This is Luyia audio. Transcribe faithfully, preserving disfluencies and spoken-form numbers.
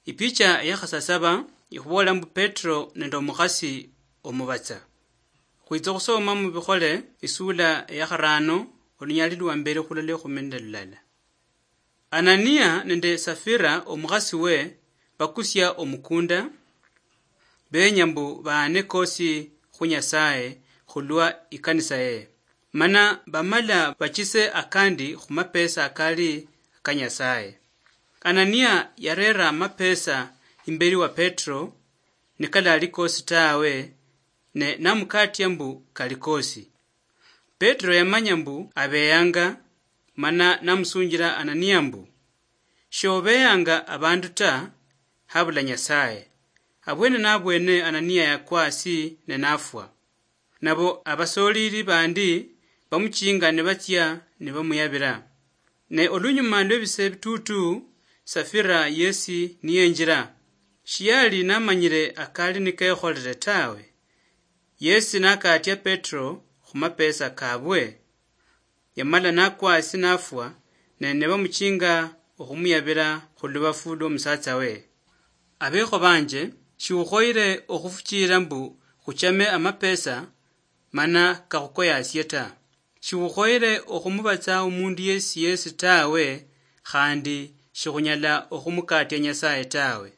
Ipicha eyakhasasaba ikhuboola mbu Petro nende omukhasi omubatsa. Khwitsa okhusoma mubikhole isula eyakharano olunyali lwa mbere khulala ekhumi nende lulala. Anania nende Safira omukhasi we bakusia omukunda, benya mbu baane kosi khu Nyasaye khulwa ikanisa yeye. Mana bamala bachise akandi khumapesa akali aka Nyasaye. Anania yarera amapesa imbeli wa Petro, nikalali kosi tawe, ne namukatia mbu kali kosi. Petro yamanya mbu abeyanga, mana namusunjila Anania mbu, "Shobeyanga abandu ta, habula Nyasaye." Abwene nabwene Anania yakwa asi ne nafwa. Nabo abasolili bandi bamuchinga nibatsia nibamuyabila. Ne olunyuma lwebise bitutu, Safira yesi niyenjila. Shiyali namanyile akali nikekholele tawe. Yesi nakatia Petro khumapesa kabwe. Yamala nakwa asi nafwa, ne nibamuchinga okhumuyabila khulubafu lwomusatsa we. Abekho banje, shiukhoyile okhufuchilila mbu khuchame amapesa mana kakhukoyasie ta. Shiukhoyile okhumubatsa omundu yesi yesi tawe, khandi shikhunyala okhumukatia Nyasaye tawe.